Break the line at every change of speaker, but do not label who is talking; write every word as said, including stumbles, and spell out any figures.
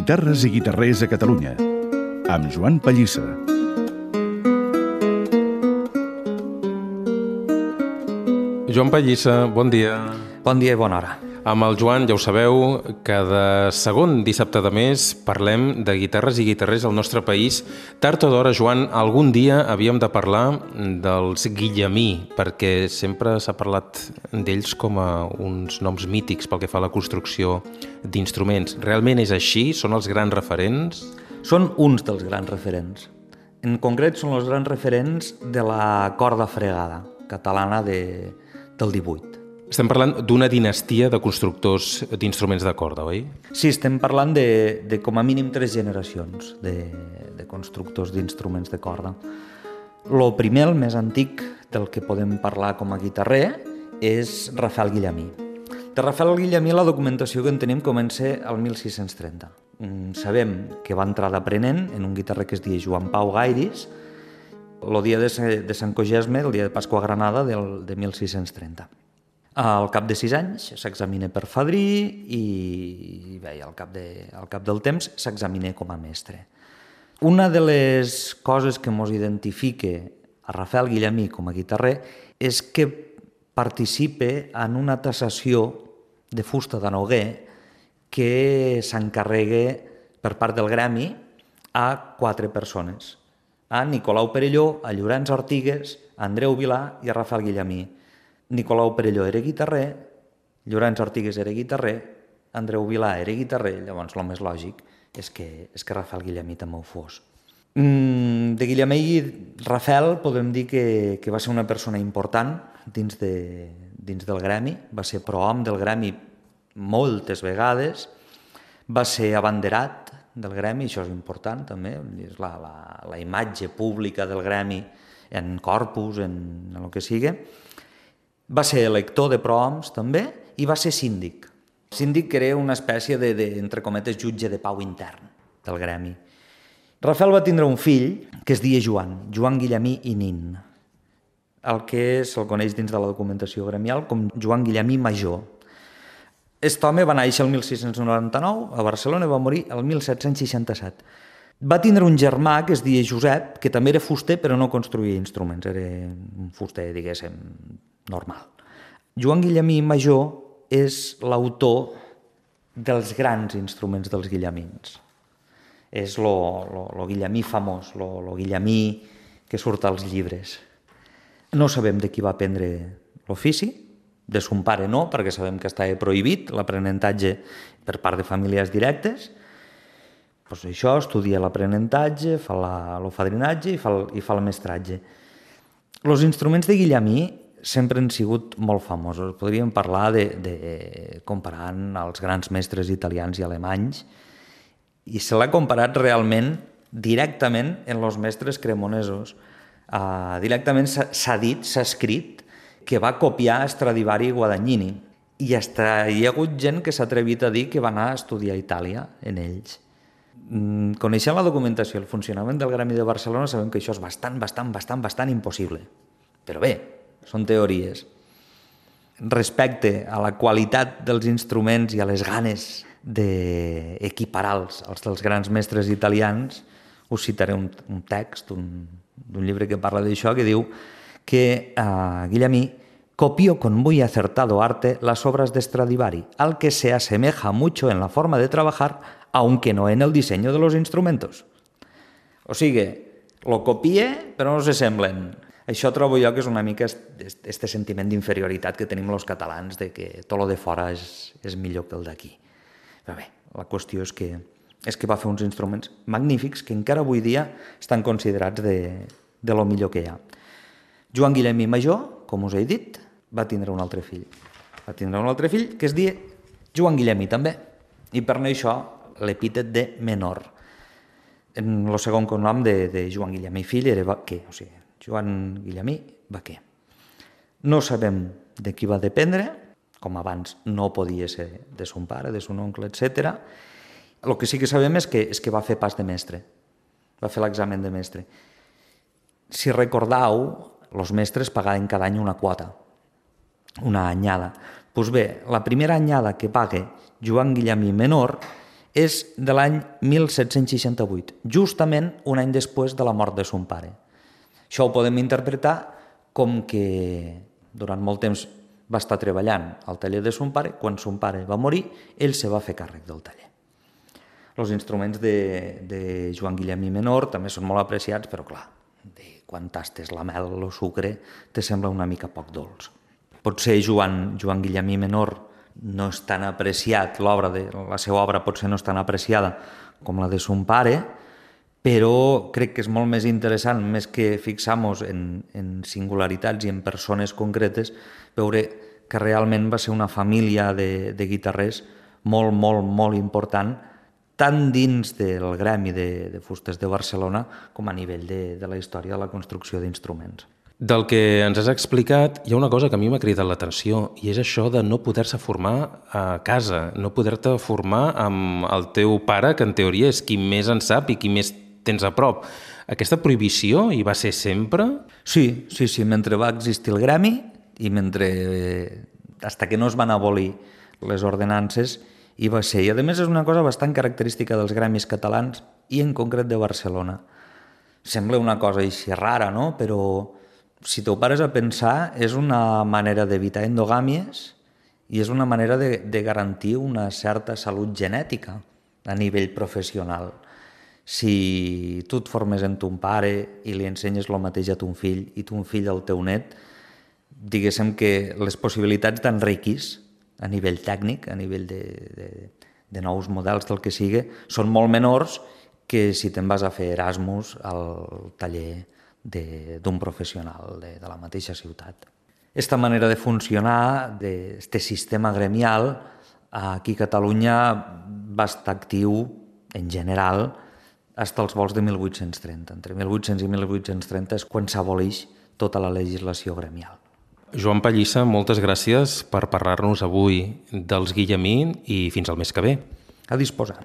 Guitarres i guitarrers a Catalunya, amb Joan Pallissa.
Joan Pallissa, bon dia.
Bon dia i bona hora.
Amb el Joan, ja ho sabeu, cada segon dissabte de mes parlem de guitarres i guitarrers al nostre país. Tard o d'hora, Joan, algun dia havíem de parlar dels Guillemí, perquè sempre s'ha parlat d'ells com a uns noms mítics pel que fa a la construcció d'instruments. Realment és així? Són els grans referents?
Són uns dels grans referents. En concret, són els grans referents de la corda fregada catalana de, del divuit.
Estem parlant d'una dinastia de constructors d'instruments de corda, oi?
Sí, estem parlant de, de com a mínim tres generacions de, de constructors d'instruments de corda. Lo primer, el més antic del que podem parlar com a guitarrer, és Rafael Guillemí. De Rafael Guillemí la documentació que en tenim comença al mil sis-cents trenta. Sabem que va entrar d'aprenent en un guitarrer que es deia Joan Pau Gairis, el dia de, de Sant Cogesme, el dia de Pasqua a Granada del, de mil sis-cents trenta. Al cap de sis anys s'examina per fadrí i bé, al, cap de, al cap del temps s'examina com a mestre. Una de les coses que ens identifica a Rafael Guillemí com a guitarrer és que participa en una tassació de fusta de Noguer que s'encarrega per part del gremi a quatre persones, a Nicolau Perelló, a Llorenç Ortigues, a Andreu Vilà i a Rafael Guillemí. Nicolau Perelló era guitarrer, Llorenç Ortigues era guitarrer, Andreu Vilà era guitarrer, llavors el més lògic és que, és que Rafael Guillemí també ho fos. Mm, de Guillemí i Rafael podem dir que, que va ser una persona important dins, de, dins del gremi, va ser prohom del gremi moltes vegades, va ser abanderat del gremi, això és important també, és la, la, la imatge pública del gremi en corpus, en, en el que sigui. Va ser elector de prohoms també i va ser síndic. Síndic que era una espècie de, de, entre cometes, jutge de pau intern del gremi. Rafael va tindre un fill que es deia Joan, Joan Guillemí i Nin, el que se'l coneix dins de la documentació gremial com Joan Guillemí Major. Aquest home va néixer el mil sis-cents noranta-nou a Barcelona i va morir el mil set-cents seixanta-set. Va tindre un germà que es deia Josep, que també era fuster però no construïa instruments, era un fuster, diguéssim, normal. Joan Guillemí Major és l'autor dels grans instruments dels guillemins. És lo, lo, lo guillemí famós, lo, lo guillemí que surt als llibres. No sabem de qui va aprendre l'ofici, de son pare no, perquè sabem que estava prohibit l'aprenentatge per part de famílies directes. Pues això, estudia l'aprenentatge, fa l'ofadrinatge i fa el, i fa el mestratge. Els instruments de Guillemí sempre han sigut molt famosos. Podríem parlar de, de comparant els grans mestres italians i alemanys, i se l'ha comparat realment directament en els mestres cremonesos. Uh, directament s'ha dit, s'ha escrit, que va copiar Stradivari i Guadagnini, i hasta hi ha hagut gent que s'ha atrevit a dir que va anar a estudiar a Itàlia en ells. Mm, coneixent la documentació i el funcionament del Gremi de Barcelona sabem que això és bastant, bastant, bastant, bastant impossible. Però bé, són teories. Respecte a la qualitat dels instruments i a les ganes d'equiparar-los als dels grans mestres italians, us citaré un, un text d'un llibre que parla d'això, que diu que uh, Guillemí copió con muy acertado arte las obras de Stradivari, al que se asemeja mucho en la forma de trabajar, aunque no en el diseño de los instrumentos. O sigui, lo copie, però no se semblen. Això trobo jo que és una mica este sentiment d'inferioritat que tenim els catalans, de que tot lo de fora és, és millor que el d'aquí. Però bé, la qüestió és que, és que va fer uns instruments magnífics que encara avui dia estan considerats de, de lo millor que hi ha. Joan Guillemí Major, com us he dit, va tindre un altre fill. Va tindre un altre fill que es deia Joan Guillemí també, i per això l'epítet de menor. En el segon cognom de, de Joan Guillemí fill era Baquer, o sigui, Joan Guillemí Baquer. No sabem de qui va dependre, com abans no podia ser de son pare, de son oncle, etcètera. El que sí que sabem és que, és que va fer pas de mestre, va fer l'examen de mestre. Si recordeu, els mestres pagaven cada any una quota, una anyada. Doncs bé, la primera anyada que paga Joan Guillemí menor és de l'any mil set-cents seixanta-vuit, justament un any després de la mort de son pare. Això ho podem interpretar com que durant molt temps va estar treballant al taller de son pare, quan son pare va morir, ell se va fer càrrec del taller. Els instruments de, de Joan Guillemí Menor també són molt apreciats, però clar, de quan tastes la mel o el sucre te sembla una mica poc dolç. Potser Joan, Joan Guillemí Menor no és tan apreciat, l'obra de, la seva obra potser no és tan apreciada com la de son pare, però crec que és molt més interessant, més que fixar-nos en, en singularitats i en persones concretes, veure que realment va ser una família de, de guitarrers molt, molt, molt important, tant dins del gremi de, de fustes de Barcelona com a nivell de, de la història de la construcció d'instruments.
Del que ens has explicat, hi ha una cosa que a mi m'ha cridat l'atenció, i és això de no poder-se formar a casa, no poder-te formar amb el teu pare, que en teoria és qui més en sap i qui més tens a prop. Aquesta prohibició hi va ser sempre?
Sí, sí, sí. Mentre va existir el gremi i mentre, hasta que no es van abolir les ordenances, hi va ser. I a més és una cosa bastant característica dels gremis catalans i en concret de Barcelona. Sembla una cosa així rara, no? Però si t'ho pares a pensar, és una manera d'evitar endogàmies i és una manera de, de garantir una certa salut genètica a nivell professional. Si tu et formes en ton pare i li ensenyes el mateix a ton fill i ton fill al teu net, diguéssim que les possibilitats d'enriquir a nivell tècnic, a nivell de, de, de nous models del que sigui, són molt menors que si te'n vas a fer Erasmus al taller d'un professional de, de la mateixa ciutat. Aquesta manera de funcionar, d'aquest sistema gremial, aquí a Catalunya va estar actiu en general fins als vols de mil vuit-cents trenta. Entre mil vuit-cents i mil vuit-cents trenta és quan s'aboleix tota la legislació gremial.
Joan Pallissa, moltes gràcies per parlar-nos avui dels Guillemí i fins al mes que ve.
A disposar.